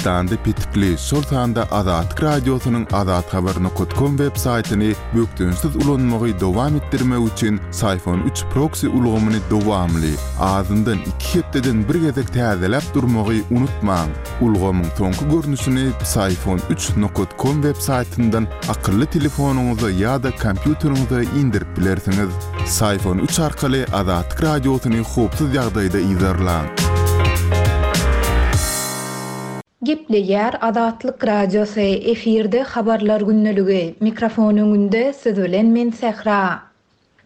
Türkmenistanda petikli, şol sanda Azatlyk Radiosynyň azathabar nokat kom web saýtyny bökdençsiz ulanmagy dowam etdirmek üçin Syfon üç proksi ulgamyny dowamly, azyndan iki hepdeden bir gezek täzeläp durmagy unutmaň. Ulgamyň soňky görnüşini Psiphon üç nokat kom web saýtyndan akylly telefonyňyza ýa-da kompýuteriňize indirip bilersiňiz. Psiphon üç arkaly Azatlyk Radiosyny howpsuz ýagdaýda yzarlaň. Gepleýär Azatlyk Radiosy, efirde Habarlar gündeligi, mikrofon öňünde siz bilen men Sähra.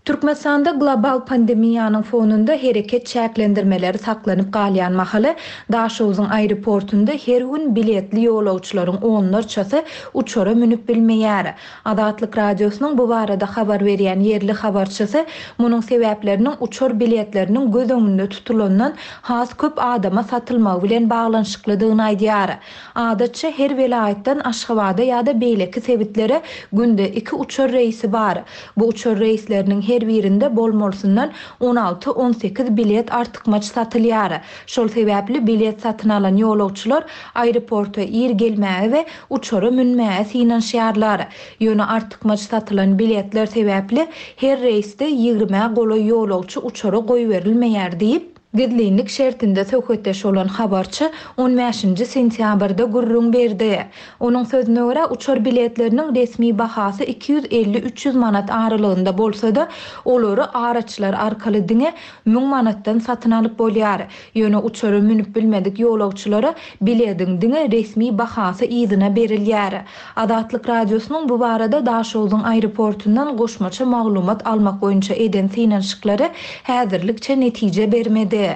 Türkmenistanda global pandemiýanyň fonunda hereket çäklendirmeleri saklanyp galýan mahaly, Daşogzuň aeroportunda her gün biletli ýolagçylaryň onlarçasy uçara münüp bilmeýär. Azatlyk Radiosynyň bu barada habar berýän ýerli habarçysy munuň sebäpleriniň uçar biletleriniň göz öňünde tutulandan has köp adama satylmagy bilen baglanyşyklydygyny aýdýar. Adatça, her welaýatdan Aşgabada ýa-da beýleki sebitlere günde iki uçar reýsi bar. Bu uçar reýsleriniň her birinde bolmalysyndan 16-18 bilet artykmaç satylýar. Şol sebäpli bilet satyn alan ýolagçylar aeroporta ir gelmäge we uçara münmäge synanyşýarlar. Ýöne artykmaç satylan biletler sebäpli her reýsde ýigrimä golaý ýolagçy uçara goýberilmeýär diýip, Gizlinlik şertinde söhbetdeş bolan habarçy on bäşinji sentýabrda gürrüň berdi. Onuň sözüne görä, uçar biletleriniň resmi bahasy 250-300 manat aralygynda bolsa-da, olary araçylar arkaly diňe 1000 manatdan satyn alyp bolýar. Ýöne uçara münüp bilmedik ýolagçylara bilediň diňe resmi bahasy yzyna berilýär. Azatlyk Radiosynyň bu barada Daşogzuň aeroportundan goşmaça maglumat almak boýunça eden synanyşyklary häzirlikçe netije bermedi.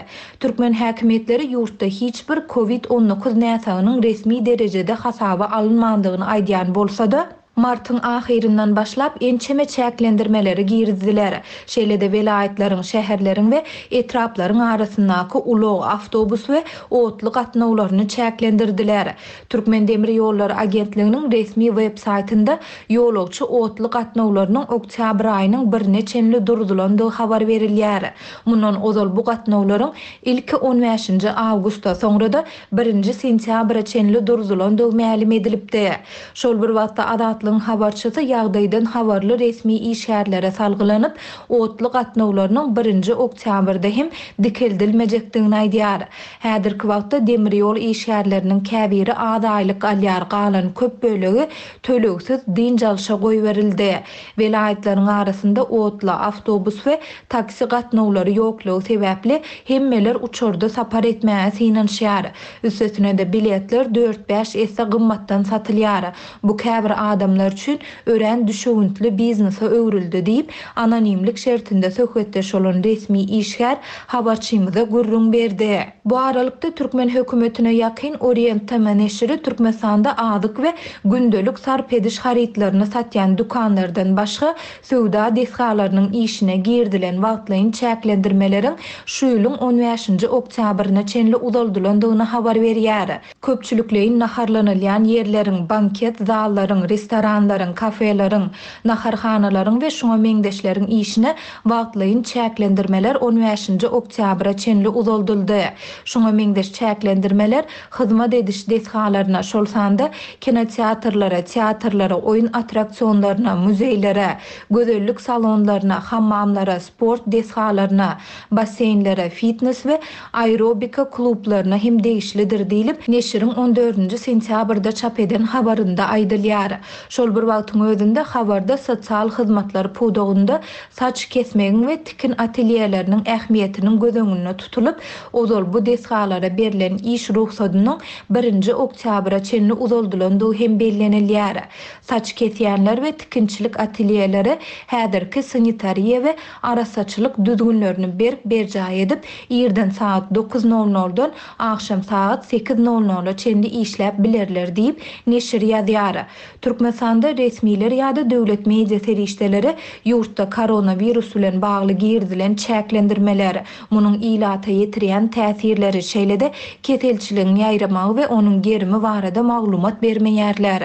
Türkmen häkimiýetleri ýurtda hiç bir Covid 19 näsagynyň resmi derejede hasaba alynmandygyny aýdýan bolsa-da, martyň ahyryndan başlap ençeme çäklendirmeleri girizdiler. Şeýle-de welaýatlaryň, şäherleriň we etraplaryň arasyndaky ulag, awtobus we otly gatnawlaryny çäklendirdiler. Türkmendemirýollary agentliginiň resmi web saýtynda ýolagçy otly gatnawlarynyň oktýabr aýynyň birine çenli durzulandygy habar berilýär. Mundan ozal bu gatnawlaryň ilki on bäşinji awgusta, soňra-da birinji sentýabra çenli durzulandygy mälim edilipdi. Şol bir wagtda Azatlygyň habarçysy ýagdaýdan habarly resmi işgärlere salgylanyp, otly gatnawlarynyň birinji oktýabrda hem dikeldilmejekdigini aýdýar. Häzirki wagtda demir ýol işgärleriniň käbiri az aýlyk alýar, galan köp bölegi tölegsiz dynç alşa goýberildi. Welaýatlaryň arasynda otly, awtobus we taksi gatnawlary ýoklugy sebäpli hemmeler uçarda sapar etmäge synanyşýar. Üstesine-de biletler dört-bäş esse gymmatdan satylýar. Bu käbir adamlar üçin örän düşewüntli biznese öwrüldi diýip, anonimlik şertinde söhbetdeş bolan resmi işgär habarçymyza gürrüň berdi. Bu aralykda, türkmen hökümetine ýakyn Orient TM neşiri Türkmenistanda azyk we gündelik sarp ediş harytlaryny satýan dükanlardan başga söwda desgalarynyň işine girizilen wagtlaýyn çäklendirmeleriň şu ýylyň on bäşinji oktýabryna çenli uzaldylandygyny habar berýär. Köpçülikleýin naharlanylýan ýerleriň, banket zallaryň, restoranlaryň, kafeleriň, naharhanalaryň we şuňa meňzeşleriň işine wagtlaýyn çäklendirmeler on bäşinji oktýabra çenli uzaldyldy. Şuňa meňzeş çäklendirmeler hyzmat ediş desgalaryna, şol sanda kinoteatrlara, teatrlara, oýun attraksionlaryna, muzeýlere, gözellik salonlaryna, hammamlara, sport desgalaryna, basseýnlere, fitnes we aerobika klublaryna hem degişlidir diýlip, neşiriň on dördünji sentýabrda çap eden habarynda aýdylýar. Şol bir wagtyň özünde, habarda sosial hyzmatlar pudagynda saç kesmegiň we tikin atelýeleriniň ähmiýetiniň göz öňünde tutulyp, ozal bu desgalara berlen iş rugsadynyň birinji oktýabra çenli uzaldylandygy hem bellenilýär. Saç kesýänler we tikinçilik atelýeleri häzirki sanitariýa we arassaçylyk düzgünlerini berk berjaý edip, irden sagat dokuz nol noldan agşam sagat sekiz nol nola çenli işläp bilerler diýip, neşir ýazýar. Türkmenistanyň. Türkmenistanda resmiler ýa-da döwlet media serişdeleri ýurtda koronawirus bilen bagly girizilen çäklendirmeler, munuň ilata ýetirýän täsirleri, şeýle-de keselçiligiň ýaýramagy we onuň gerimi barada maglumat bermeýärler.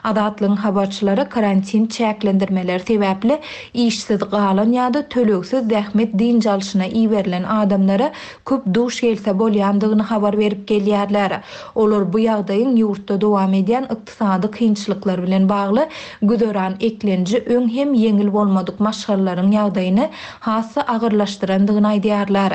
Azatlygyň habarçylary karantin çäklendirmeleri sebäpli işsiz galan ýa-da tölegsiz zähmet dynç alşyna iberilen adamlara köp duş gelse bolýandygyny habar berip gelýärler. Olar bu ýagdaýyň ýurtda dowam edýän ykdysady kynçylyklar bilen bagly güzeran eklenji öň hem ýeňil bolmadyk maşgalalaryň ýagdaýyny has-da agyrlaşdyrandygyny aýdýarlar.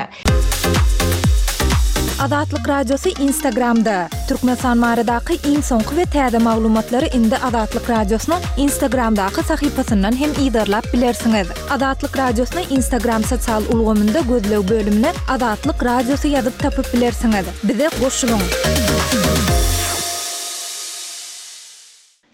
Azatlyk Radiosy Instagramda, Türkmenistan baradaky iň soňky we täze maglumatlary indi Azatlyk Radiosynyň Instagramdaky sahypasyndan hem yzarlap bilersiňiz. Azatlyk Radiosyny Instagram sosial ulgamynda gözleg bölümine Azatlyk Radiosy ýazyp tapyp bilersiňiz. Bize goşulyň!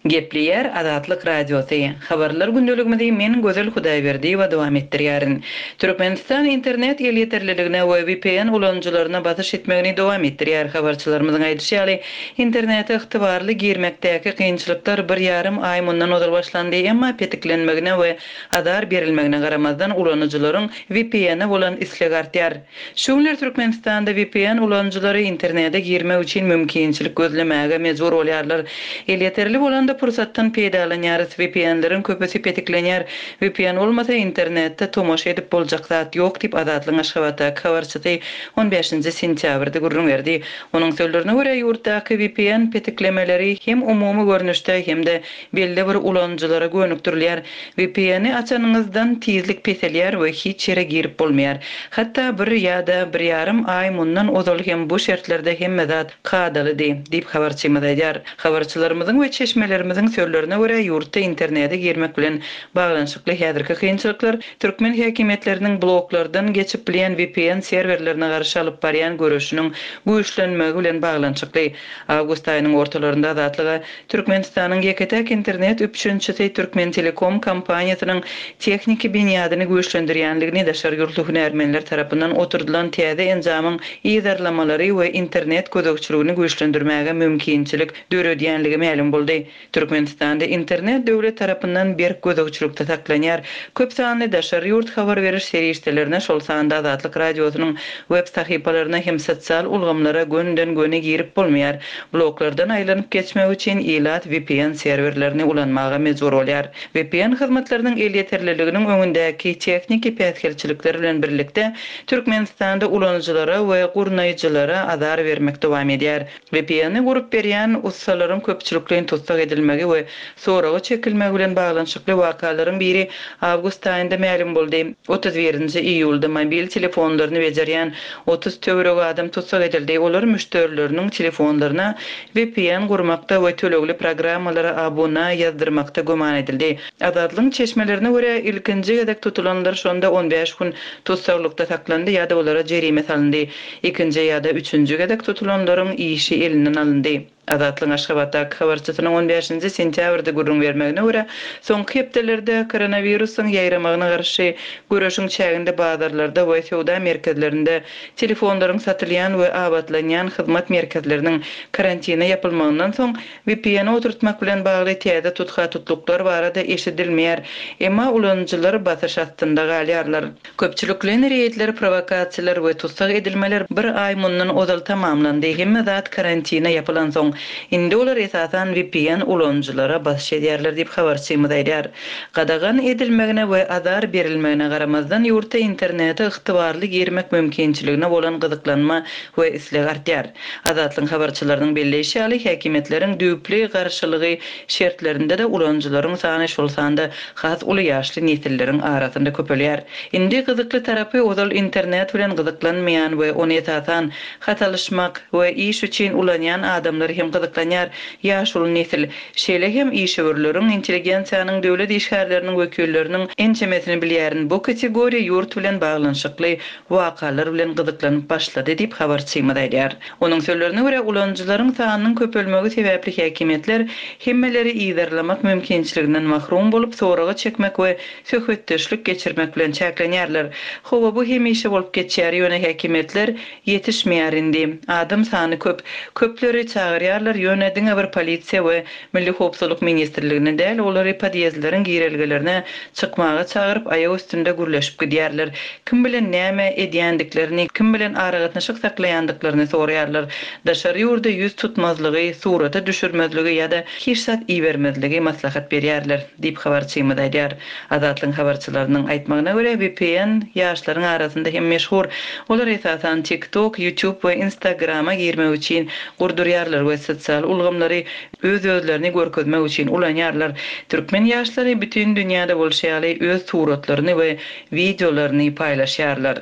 Gepleýär Azatlyk Radiosy. Habarlar gündeligimizi men Gözel Hudaýberdiýewa dowam etdirýärin. Türkmenistan internet elýeterliligine we vpn ulanyjylaryna basyş etmegini dowam etdirýär. Habarçylarymyzyň aýdyşy ýaly, internete ygtybarly girmekdäki kynçylyklar bir ýarym aý mundan ozal başlandy, emma petiklenmegine we azar berilmegine garamazdan ulanyjylaryň vpn-e bolan islegi artýar. Şu günler Türkmenistanda vpn ulanyjylary internete girmek üçin mümkinçilik gözlemäge mejbur bolýarlar. Elýeterli bolanda pursatdan peýdalanýarys, vpn-leriň köpüsi petiklenýär. Vpn bolmasa internetde tomaşa edip boljak zat ýok diýip, Azatlygyň Aşgabatdaky habarçysy on bäşinji sentýabrda gürrüň berdi. Onuň sözlerine görä, ýurtdaky vpn petiklemeleri hem umumy görnüşde, hem-de belli bir ulanyjylara gönükdirilýär. VPN-i açanyňyzdan tizlik peselýär we hiç ýere girip bolmaýar. Hatda bir ýa-da bir ýarym aý mundan ozal hem bu şertlerde hemme zat kadalydy, diýip habarçymyz aýdýar. Habarçylarymyzyň we çeşmelerimiziň sözlerine görä, ýurtda internete girmek bilen baglanyşykly häzirki kynçylyklar türkmen häkimiýetleriniň bloklardan geçip bilýän VPN serwerlerine garşy alyp barýan göreşiniň güýçlenmegi bilen baglanyşykly. Awgust aýynyň ortalarynda Azatlyga Türkmenistanyň ýeke-täk internet üpjünçisi Türkmentelekom kompaniýasynyň tehniki binýadyny güýçlendirýändigini daşary ýurtly hünärmenler tarapyndan oturdylan täze enjamyň yzarlamalary we internet gözegçiligini güýçlendirmäge mümkinçilik döredýänligi mälim boldy. Türkmenistanda internet döwlet tarapyndan berk gözegçilikde saklanýar. Köp sanly daşary ýurt habar beriş serişdelerine, şol sanda Azatlyk Radiosynyň web sahypalaryna hem sosial ulgamlara gönüden-göni girip bolmaýar. Bloklardan aýlanyp geçmek üçin ilat vpn serwerlerini ulanmaga mejbur bolýar. Vpn hyzmatlarynyň elýeterliliginiň öňündäki tehniki päsgelçilikler bilen birlikde, Türkmenistanda ulanyjylara we gurnaýjylara azar bermek dowam edýär. VPN-i gurup berýän ussalaryň köpçülikleýin tussag edilmegi we soraga çekilmegi bilen baglanyşykly wakalaryň biri awgust aýynda mälim boldy. 31-nji iýulda mobil telefonlaryny bejerýän 30 töweregi adam tussag edildi. Olar müşderileriniň telefonlaryna vpn gurmakda we tölegli programmalara abuna ýazdyrmakda güman edildi. Azatlygyň çeşmelerine görä, ilkinji gezek tutulanlar şonda on bäş gün tussaglykda saklandy ýa-da olara jerime salyndy. Ikinji ýa-da üçünji gezek tutulanlaryň işi elinden alyndy. Azatlygyň Aşgabatdaky habarçysynyň on bäşinji sentýabrda gürrüň bermegine görä, soňky hepdelerde koronawirusyň ýaýramagyna garşy göreşiň çäginde bazarlarda we söwda merkezlerinde telefonlaryň satylýan we abatlanýan hyzmat merkezleriniň karantine ýapylmagyndan soň VPN oturtmak bilen bagly täze tutha-tutluklar barada eşidilmeýär, emma ulanyjylar basyş astynda galýarlar. Köpçülikleýin reýdler, prowokasiýalar we tussag edilmeler bir aý mundan ozal tamamlandy, hemme zat karantine ýapylansoň. Indi olar esasan VPN ulanyjylara basyş edýärler diýip, habarçymyz aýdýar. Gadagan edilmegine we azar berilmegine garamazdan, ýurtda internete ygtybarly girmek mümkinçiligine bolan gyzyklanma we isleg artýar. Azatlygyň habarçylarynyň belleýşi ýaly, häkimiýetleriň düýpli garşylygy şertlerinde-de ulanyjylaryň sany, şol sanda has uly ýaşly nesilleriň arasynda köpelýär. Indi gyzykly tarapy, ozal internet bilen gyzyklanmaýan we ony esasan hat alyşmak we iş üçin ulanýan adamlar hem gyzyklanýar, ýaşuly nesil, şeýle hem işewürleriň, intelligensiýanyň, döwlet işgärleriniň wekilleriniň ençemesini bilýärin, bu kategoriýa ýurt bilen baglanyşykly wakalar bilen gyzyklanyp başlady diýip, habarçymyz aýdýar. Onuň sözlerine görä, ulanyjylaryň sanynyň köpelmegi sebäpli häkimiýetler hemmeleri yzarlamak mümkinçiliginden mahrum bolup, soraga çekmek we söhbetdeşlik geçirmek bilen çäklenýärler. Hawa, bu hemişe bolup geçýär, ýöne häkimiýetler ýetişmeýär indi. Adam sany köp. Köpleri çagyrýarys. soraýarlar, ýöne diňe bir polisiýa we Milli howpsuzlyk ministrligine däl, olary podýezdleriň girelgelerine çykmaga çagyryp, aýak üstünde gürleşip gidýärler. Kim bilen näme edýändiklerini, kim bilen aragatnaşyk saklaýandyklaryny soraýarlar. Daşary ýurda ýüz tutmazlygy, surata düşürmezligi ýa-da hiç zat ibermezligi maslahat berýärler, diýip habarçymyz aýdýar. Azatlygyň habarçylarynyň aýtmagyna görä, vpn ýaşlaryň arasynda hem meşhur. Olar esasan TikTok, YouTube we Instagrama girmek üçin gurdurýarlar we sosial ulgamlary öz-özlerini görkezmek üçin ulanýarlar. Türkmen ýaşlary bütin dünýäde bolşy ýaly öz suratlaryny we wideolaryny paýlaşýarlar.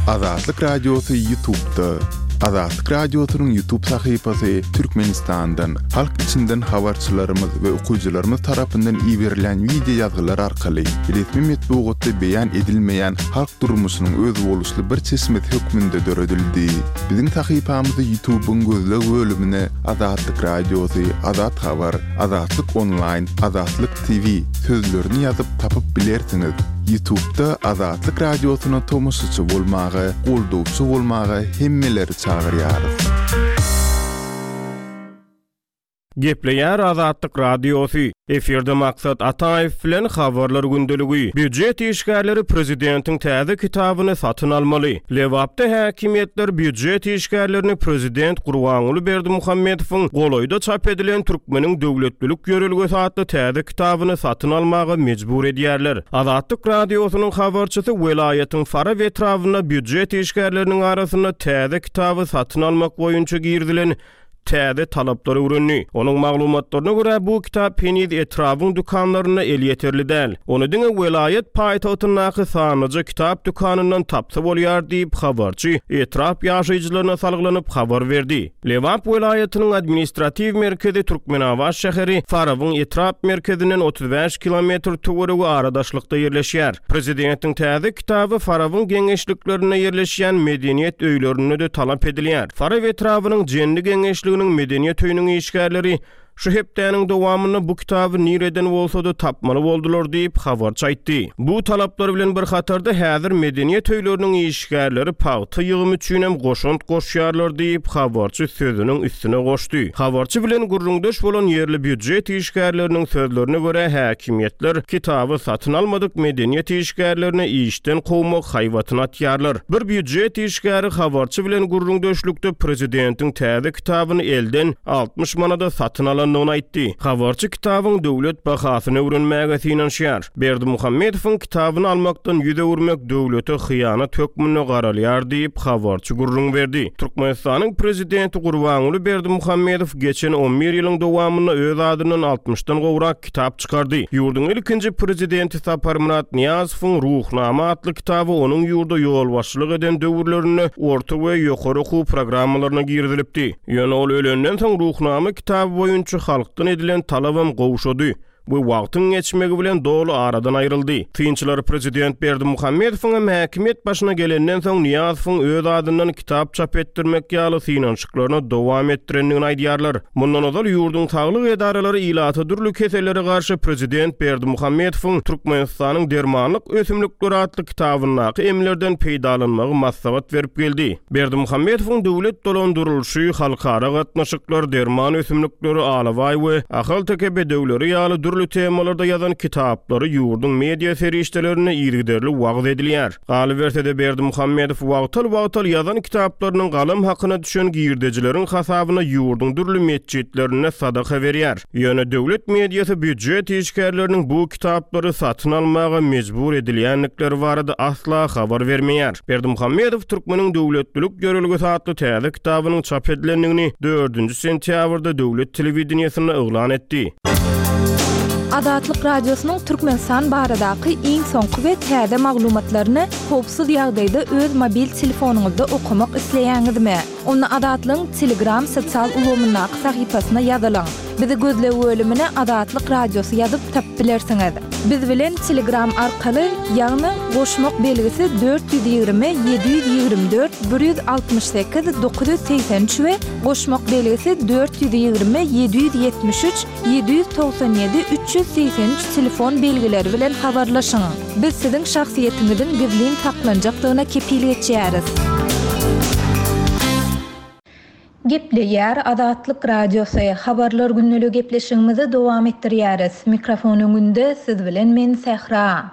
Azatlyk Radiosy Ýutubda. Azatlyk Radiosynyň Ýutub sahypasy Türkmenistandan, halk içinden habarçylarymyz we okyjylarymyz tarapyndan iberilen wideo ýazgylar arkaly resmi metbugatda beýan edilmeýän halk durmuşynyň özboluşly bir çeşmesi hökmünde döredildi. Biziň sahypamyzy Ýutubyň gözleg bölümine Azatlyk Radiosy, Azat Habar, Azatlyk Onlaýn, Azatlyk TV sözlerini ýazyp tapyp bilersiňiz. Ýutubda Azatlyk Radiosyna tomaşaçy bolmaga, goldawçy bolmaga hemmeleri çagyrýarys. Gepleýär Azatlyk Radiosy, Efirde Maksat Ataýew bilen Habarlar gündeligi. Býujet işgärleri prezidentiň täze kitabyny satyn almaly. Lebapda häkimiýetler býujet işgärlerini prezident Gurbanguly Berdimuhamedowyň golaýda çap edilen Türkmeniň döwletlilik ýörelgesi atly täze kitabyny satyn almaga mejbur edýärler. Azatlyk Radiosynyň habarçysy welaýatyň Farap etrabynda býujet işgärleriniň arasynda täze kitaby satyn almak boýunça girizilen täze talaplary öwrendi. Onuň maglumatlaryna görä, bu kitap heniz etrabyň dükanlarynda elýeterli däl. Ony diňe welaýat paýtagtyndaky sanlyja kitap dükanyndan tapsa bolýar diýip, habarçy etrap ýaşaýjylaryna salgylanyp habar berdi. Lebap welaýatynyň administratiw merkezi Türkmenabat şäheri Farabyň etrap merkezinden 35 kilometr töweregi ara daşlykda ýerleşýär. Prezidentiň täze kitaby Farabyň geňeşliklerinde ýerleşýän medeniýet öýlerinde-de talap edilýär. Farap etrabynyň Jendi geňeşliginiň medeniýet öýüniň işgärleri şu hepdäniň dowamynda bu kitaby nireden bolsa-da tapmaly boldular diýip, habarçy aýtdy. Bu talaplar bilen bir hatarda häzir medeniýet öýleriniň işgärleri pagta ýygymy üçinem goşant goşýarlar diýip, habarçy sözüniň üstüne goşdy. Habarçy bilen gürrüňdeş bolan ýerli býujet işgärleriniň sözlerine görä, häkimiýetler kitaby satyn almadyk medeniýet işgärlerini işden kowmak haýbatyny atýarlar. Bir býujet işgäri habarçy bilen gürrüňdeşlikde prezidentiň täze kitabyny elden 60 manada satyn alandygyny aýtdy. Habarçy kitabyň döwlet bahasyny öwrenmäge synanyşýar. Berdimuhamedowyň kitabyny almakdan ýüz öwürmek döwlete hyýanat hökmünde garalýar diýip, habarçy gürrüň berdi. Türkmenistanyň prezidenti Gurbanguly Berdimuhamedow geçen on bir ýylyň dowamynda öz adyndan altmyşdan gowrak kitap çykardy. Ýurduň ilkinji prezidenti Saparmyrat Nyýazowyň Ruhnama atly kitaby onuň ýurda ýolbaşçylyk eden döwürlerinde orta we ýokary okuw programmalaryna girizilipdi. Ýöne ol ölenden soň Ruhnama kitaby boýunça halkdan edilen talabam gowşady. we wagtyň geçmegi bilen doly aradan aýryldy. Synçylar prezident Berdimuhamedowyň hem häkimiýet başyna gelenden soň Nyýazowyň öz adyndan kitap çap etdirmek ýaly synanyşyklaryny dowam etdirendigini aýdýarlar. Mundan ozal ýurduň saglyk edaralary ilata dürli kesellere garşy prezident Berdimuhamedowyň Türkmenistanyň dermanlyk ösümlikleri atly kitabyndaky emlerden peýdalanmagy maslahat berip geldi. Berdimuhamedowyň döwlet dolandyrylyşy, halkara gatnaşyklar, derman ösümlikleri, alabaý we ahalteke bedewleri ýaly dürli temalarda ýazan kitaplary ýurduň media serişdelerinde yzygiderli wagyz edilýär. Galyberse-de, Berdimuhamedow wagtal-wagtal ýazan kitaplarynyň galam hakyna düşen girdejileriň hasabyna ýurduň dürli metjitlerinde sadaka berýär. Ýöne döwlet mediasy býujet işgärleriniň bu kitaplary satyn almaga mejbur edilýändikleri barada asla habar bermeýär. Berdimuhamedow Türkmeniň döwletlilik ýörelgesi atly täze kitabynyň çap edilendigini dördünji sentýabrda döwlet telewideniýesinde yglan etdi. Azatlyk Radiosynyň Türkmenistan baradaky iň soňky we täze maglumatlaryny howpsuz ýagdaýda öz mobil telefonyňyzda okamak isleýäňizmi? Onda Azatlygyň Telegram sosial ulgamyndaky sahypasyna ýazylyň. Bizi gözleg bölümine Azatlyk Radiosy ýazyp tapyp bilersiňiz. Biz bilen Telegram arkaly, ýagny goşmak belgisi 420 724 168 983 we goşmak belgisi 420 773 797 383 telefon belgileri bilen habarlaşyň. Biz siziň şahsyýetiňiziň gizlin saklanjakdygyna kepil geçýäris. Gepleýär Azatlyk Radiosy, Habarlar gündeligi gepleşigimizi dowam etdirýäris. Mikrofon öňünde siz bilen men Sähra.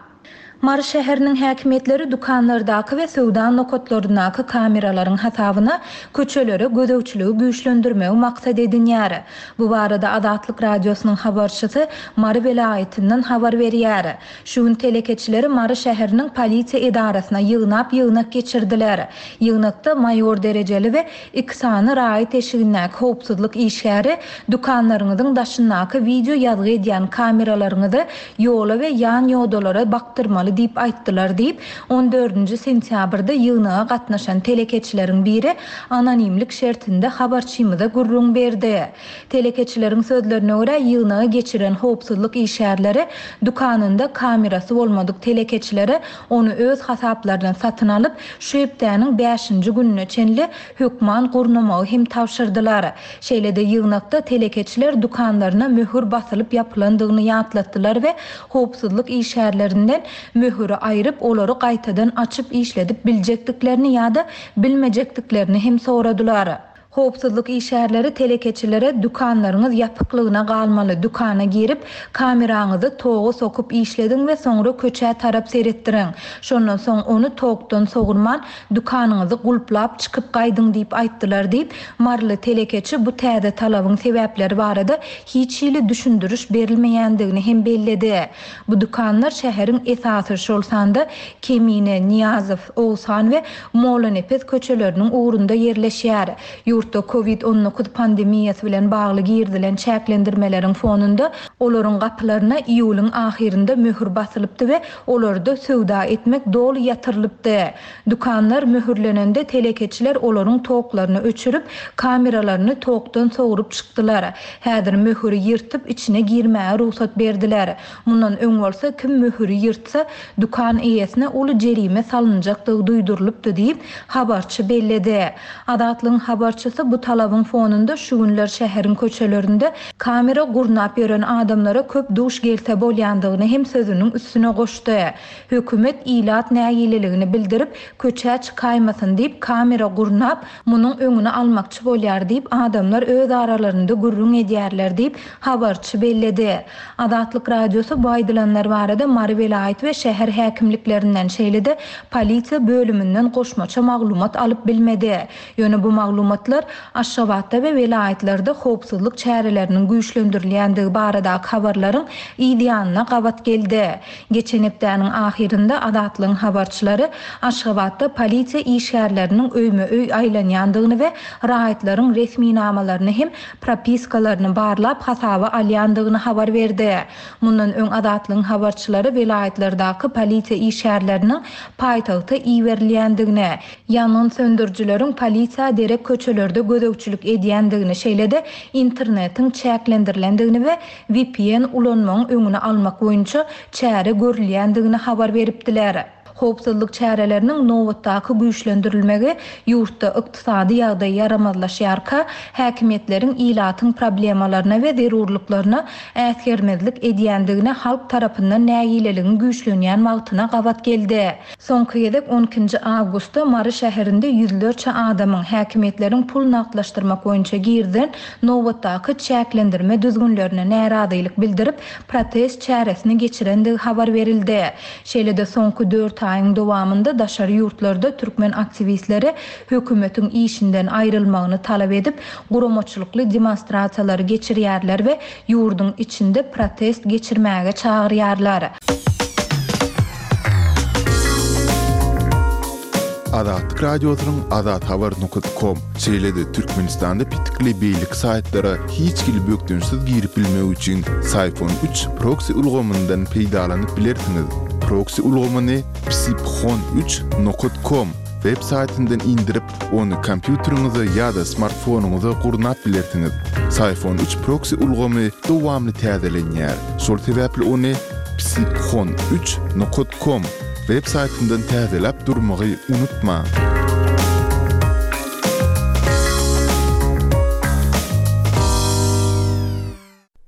Mary şäheriniň häkimiýetleri dükanlardaky we söwda nokatlaryndaky kameralaryň hasabyna köçelere gözegçiligi güýçlendirmegi maksat edinýär. Bu barada Azatlyk Radiosynyň habarçysy Mary welaýatyndan habar berýär. Şu gün telekeçileri Mary şäheriniň polisiýa edarasyna ýygnap ýygnak geçirdiler. Ýygnakda maýor derejeli we iki sany raýat eşigindäki howpsuzlyk işgäri dükanlaryňyzyň daşyndaky wideo ýazgy edýän kameralaryňyzy ýola we ýan ýodalara bakdyrmaly diýip aýtdylar diýip, on dördünji sentýabrda ýygnaga gatnaşan telekeçileriň biri anonimlik şertinde habarçymyza gürrüň berdi. Telekeçileriň sözlerine görä, ýygnagy geçiren howpsuzlyk işgärleri dükanynda kamerasy bolmadyk telekeçilere ony öz hasaplaryna satyn alyp, şu hepdäniň bäşinji gününe çenli hökman gurnamagy hem tabşyrdylar. Şeýle-de ýygnakda telekeçiler dükanlaryna möhür basylyp ýapylandygyny ýatlatdylar we howpsuzlyk işgärlerinden möhüri aýryp, olary gaýtadan açyp işledip biljekdiklerini ýa-da bilmejekdiklerini hem soradylar. Howpsuzlyk işgärleri telekeçilere dükanlaryňyz ýapyklygyna galmaly, dükana girip, kameraňyzy toga sokup işlediň we soňra köçä tarap seretdiriň. Şondan soň ony tokdan sogurman, dükanyňyzy gulplap çykyp gaýdyň diýip aýtdylar diýip, maryly telekeçi bu täze talabyň sebäpleri barada hiç hili düşündiriş berilmeýändigini hem belledi. Bu dükanlar şäheriň esasy, şol sanda Kemine, Nyýazow, Oguzhan we Mollanepes köçeleriniň ugrunda ýerleşýär. Ýurtda Covid 19 pandemiýasy bilen bagly girizilen çäklendirmeleriň fonunda olaryň gapylaryna iýulyň ahyrynda möhür basylypdy we olarda söwda etmek doly ýatyrylypdy. Dükanlar möhürlenende telekeçiler olaryň toklaryny öçürip, kameralaryny tokdan sogrup çykdylar. Häzir möhüri ýyrtyp içine girmäge rugsat berdiler. Mundan öň bolsa kim möhüri ýyrtsa, dükan eýesine uly jerime salynjakdygy duýdurylypdy diýip, habarçy belledi. Azatlygyň habarçysy bu talabyň fonunda şu günler şäheriň köçelerinde kamera gurnap ýören adamlara köp duş gelse bolýandygyny hem sözüniň üstüne goşdy. Hökümet ilat nägileligini bildirip, köçä çykaýmasyn diýip kamera gurnap, munuň öňüni almakçy bolýar diýip, adamlar öz aralarynda gürrüň edýärler diýip, habarçy belledi. Azatlyk Radiosy bu aýdylanlar barada Mary welaýat we şäher häkimliklerinden, şeýle-de polisiýa bölüminden goşmaça maglumat alyp bilmedi. Ýöne bu maglumatlar Aşgabatda we welaýatlarda howpsuzlyk çäreleriniň güýçlendirilýändigi baradaky habarlaryň yz ýanyna gabat geldi. Geçen hepdäniň ahyrynda Azatlygyň habarçylary Aşgabatda polisiýa işgärleriniň öýme-öý aýlanýandygyny we raýatlaryň resminamalaryny hem propiskalaryny barlap hasaba alýandygyny habar berdi. Mundan öň Azatlygyň habarçylary welaýatlardaky polisiýa işgärleriniň paýtagta iberilýändigini, ýangyn söndürijileriň polisiýa derek köçelerde gözegçilik edýändigini, şeýle-de internetiň çäklendirilendigini we vpn ulanmagyň öňüni almak boýunça çäre görülýändigini habar beripdiler. Howpsuzlyk çäreleriniň nobatdaky güýçlendirilmegi ýurtda ykdysady ýagdaý ýaramazlaşýarka, häkimiýetleriň ilatyň problemalaryna we zerurlyklaryna äsgermezlik edýändigine halk tarapyndan nägileligiň güýçlenýän wagtyna gabat geldi. Soňky gezek on ikinji awgustda Mary şäherinde ýüzlerçe adamyň, häkimiýetleriň pul nagtlaşdyrmak boýunça girizen nobatdaky çäklendirme düzgünlerine närazylyk bildirip, protest çäresini geçirendigi habar berildi. Şeýle-de soňky dört aýyň dowamynda daşary ýurtlarda türkmen aktiwistleri hökümetiň işinden aýrylmagyny talap edip, guramaçylykly demonstrasiýalary geçirýärler we ýurduň içinde protest geçirmäge çagyrýarlar. Azatlyk Radiosynyň azathabar nokat kom, şeýle-de Türkmenistanda petikli beýleki saýtlara hiç hili bökdençsiz girip bilmek üçin Syphon üç proksi ulgamyndan peýdalanyp bilersiňiz. Proksi ulgamyny psiphon üç nokat kom web saýtyndan indirip, Ony kompýuteriňize ýa-da smartfonyňyza gurnap bilersiňiz. Syphon üç proksi ulgamy dowamly täzelenýär. Şol sebäpli ony psiphon üç nokat kom web saýtyndan täzeläp durmagy unutmaň.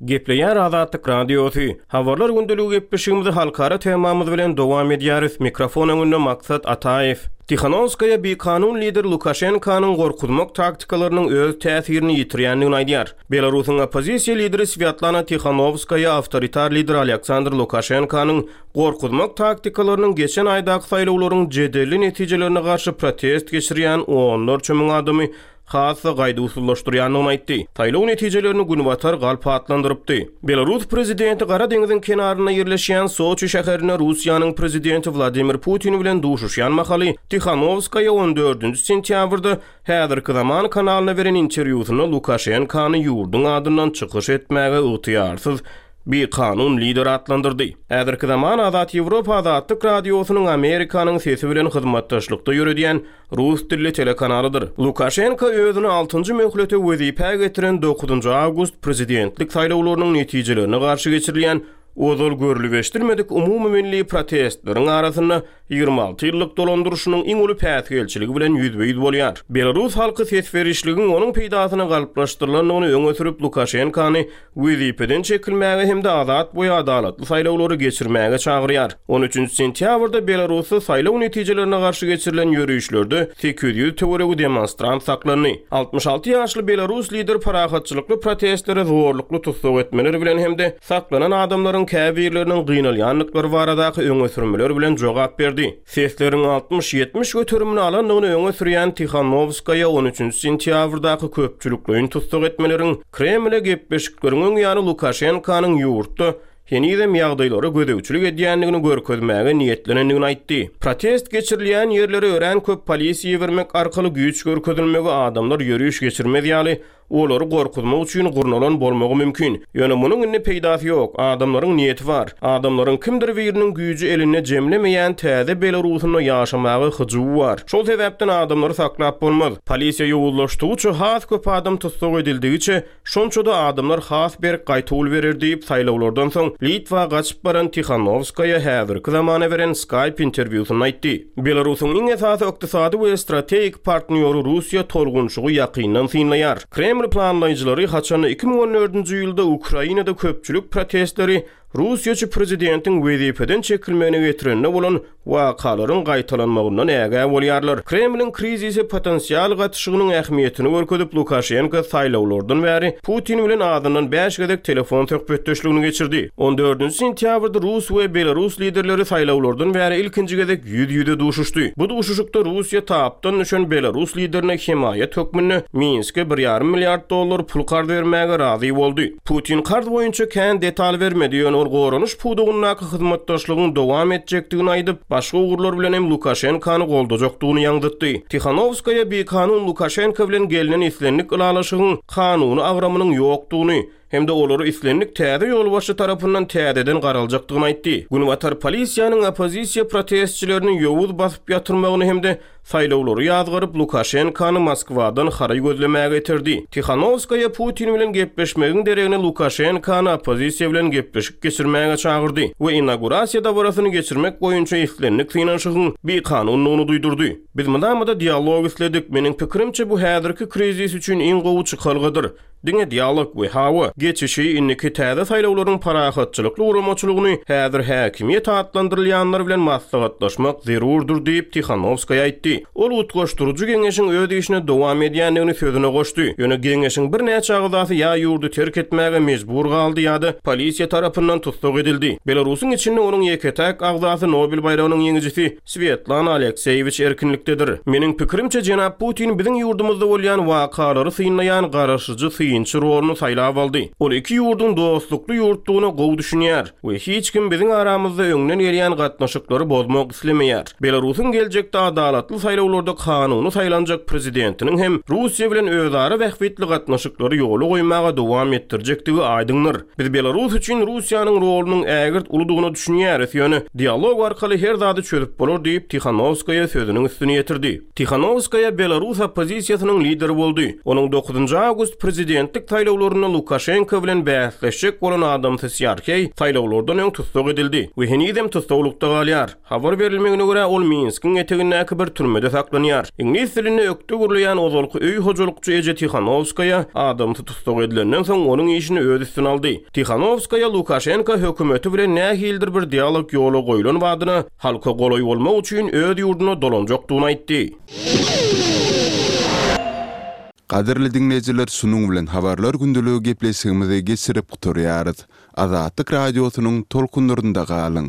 Gepleýär Azatlyk Radiosy. Habarlar gündeligi gepleşigimizi halkara temamyz bilen dowam edýäris. Mikrofon öňünde Maksat Ataýew. Tihanowskaýa bikanun lider Lukaşenkanyň gorkuzmak taktikalarynyň öz täsirini ýitirýändigini aýdýar. Belarusyň oppozisiýa lideri Swýatlana Tihanowskaýa awtoritar lider Alýaksandr Lukaşenkanyň gorkuzmak taktikalarynyň geçen aýdaky saýlawlaryň jedelli netijelerine garşy protest geçirýän onlarça müň adamy has-da gaýduwsyzlaşdyrýandygyny aýtdy. Saýlaw netijelerini Günbatar galp atlandyrypdy. Belarus prezidenti Gara deňziň kenarynda ýerleşýän Soçi şäherinde Russiýanyň prezidenti Wladimir Putin bilen duşuşýan mahaly Tihanowskaýa on dördünji sentýabrda Häzirki zaman kanalyna beren interwýusynda Lukaşenkany ýurduň adyndan çykyş etmäge ygtyýarsyz bikanun lider atlandyrdy. Häzirki zaman Azat Ýewropa Azatlyk Radiosynyň Amerikanyň Sesi bilen hyzmatdaşlykda ýöredýän rus dilli telekanalydyr. Lukaşenko özüni altynjy möhlete wezipä getiren dokuzynjy awgust prezidentlik saýlawlarynyň netijelerine garşy geçirilýän ozal görlüp-eşidilmedik umumymilli protestleriň arasynda 26 ýyllyk dolandyryşynyň iň uly päsgelçiligi bilen ýüzbe-ýüz bolýar. Belarus halky ses berişligiň onuň peýdasyna galplaşdyrylandygyny öňe sürüp, Lukaşenkany wezipeden çekilmäge hem-de azat we adalatly saýlawlary geçirmäge çagyrýar. On üçünji sentýabrda Belarusda saýlaw netijelerine garşy geçirilen ýörişlerde 800 töweregi demonstrant saklandy. 66 ýaşly belarus lideri parahatçylykly protestlere zorlukly tussag etmeler bilen hem-de saklanan adamlaryň käbirleriniň gynalýandyklary baradaky öňe sürmeler bilen jogap berdi. Sesleriň 60-70 göterimini alandygyny öňe sürýän Tihanowskaýa on üçünji sentýabrdaky köpçülikleýin tussag etmeleriň Kremle gepleşikleriň öň ýany Lukaşenkanyň ýurtda henizem ýagdaýlara gözegçilik edýändigini görkezmäge niýetlenendigini aýtdy. Protest geçirilýän ýerlere örän köp polisiýa ibermek arkaly güýç görkezilmegi adamlar ýöriş geçirmez ýaly Olary gorkuzmak üçin gurnalan bolmagy mümkin. Ýöne munuň indi peýdasy ýok. Adamlaryň niýeti bar. Adamlaryň kimdir biriniň güýji elinde jemlemeýän täze Belarusynda ýaşamaga hyjuwy bar. Şol sebäpden adamlary saklap bolmaz. Polisiýa ýowuzlaşdygyça, has köp adam tussag edildigiçe, şonça-da adamlar has berk gaýtawul berer diýip, saýlawlardan soň Litwa gaçyp baran Tihanowskaýa häzirki zamana beren Skype interwýusynda aýtdy. Belarusyň iň esasy ykdysady we strategik partnýory Russiýa tolgunşygy ýakyndan synlaýar. Kreml planlaýjylary haçanda 2014-nji ýylda Ukrainada köpçülik protestleri russiýaçy prezidentiň wezipeden çekilmegine getirende bolan wakalaryň gaýtalanmagyndan ägä bolýarlar. Kremliň krizise potensial gatyşygynyň ähmiýetini görkezip, Lukaşenko saýlawlardan bäri Putin bilen azyndan bäş gezek telefon söhbetdeşligini geçirdi. On dördünji sentýabrda rus we belarus liderleri saýlawlardan bäri ilkinji gezek ýüz-ýüze duşuşdy. Bu duşuşykda Russiýa tapdan düşen belarus liderine hemaýat hökmünde Minske bir ýarym milliard dollar pul karz bermäge razy boldy. Putin karz boýunça kän detal bermedi, ýöne ol goranyş pudagyndaky hyzmatdaşlygyň dowam etjekdigini aýdyp, başga ugurlar bilen hem Lukaşenkany goldajakdygyny ýaňzytdy. Tihanowskaýa bikanun Lukaşenko bilen gelnen islendik ylalaşygyň kanuny agramynyň ýokdugyny hem-de olara islendik täze ýolbaşçy tarapyndan täzeden garaljakdygyny aýtdy. Günbatar polisiýanyň oppozisiýa protestçilerini ýowuz basyp ýatyrmagyny hem-de saýlawlary ýazgaryp, Lukaşenkany Moskwadan haraý gözlemäge iterdi. Tihanowskaýa Putin bilen gepleşmegiň deregine Lukaşenkany oppozisiýa bilen gepleşik geçirmäge çagyrdy we inaugurasiýa dabarasyny geçirmek boýunça islendik synanyşygyň bikanundygyny duýdurdy. Biz mydama-da dialog isledik. Meniň pikirimçe, bu häzirki krizis üçin iň gowy çykalgadyr. Diňe dialog we hawa, geçişi, indiki täze saýlawlaryň parahatçylykly guramaçylygyny häzir häkimiýet atlandyrylýanlar bilen maslahatlaşmak zerurdyr diýip, Tihanowskaýa aýtdy. Ol utgaşdyryjy geňeşiň öz işine dowam edýändigini sözüne goşdy. Ýöne geňeşiň birnäçe agzasy ýa ýurdy terk etmäge mejbur galdy ýa-da polisiýa tarapyndan tussag edildi. Belarusyň içinde onuň ýeke-täk agzasy Nobel baýragynyň ýeňijisi Swetlana Alekseýewiç erkinlikdedir. Meniň pikirimçe, jenap Putin biziň ýurdumyzda bolýan wakalary synlaýan garaşyjy synçy roluny saýlap aldy. Ol iki ýurduň dostlukly ýurtdugyna gowy düşünýär we hiç kim biziň aramyzda öňden gelýän gatnaşyklary bozmak islemeýär. Belarusyň geljekde adalatly saýlawlarda kanuny saýlanjak prezidentiniň hem Russiýa bilen özara bähbitli gatnaşyklary ýola goýmaga dowam etdirjekdigi aýdyňdyr. Biz Belarus üçin Russiýanyň rolunyň ägirt uludygyna düşünýäris, ýöne dialog arkaly her zady çözüp bolar diýip, Tihanowskaýa sözüniň üstüni ýetirdi. Tihanowskaýa belarus oppozisiýasynyň lideri boldy. Onuň dokuzynjy awgust prezidentlik. Prezidentlik saýlawlarynda Lukaşenko bilen bäsleşjek bolan adamsy Sýarheý saýlawlardan öň tussag edildi we henizem tussaglykda galýar. Habar berilmegine görä, ol Minskiň etegindäki bir türmede saklanýar. Iňlis dilinde ökde gürleýän ozalky öý hojalykçy eje Tihanowskaýa adamsy tussag edilenden soň onuň işini öz üstüne aldy. Tihanowskaýa Lukaşenko hökümeti bilen nähilidir bir dialog ýola goýlan badyna halka golaý bolmak üçin öz ýurduna dolanjakdygyny aýtdy. Gadyrly diňleýjiler şunuň bilen Habarlar gündeligi gepleşigimizi geçirip gutarýarys. Azatlyk Radiosynyň tolkunlarynda galyň!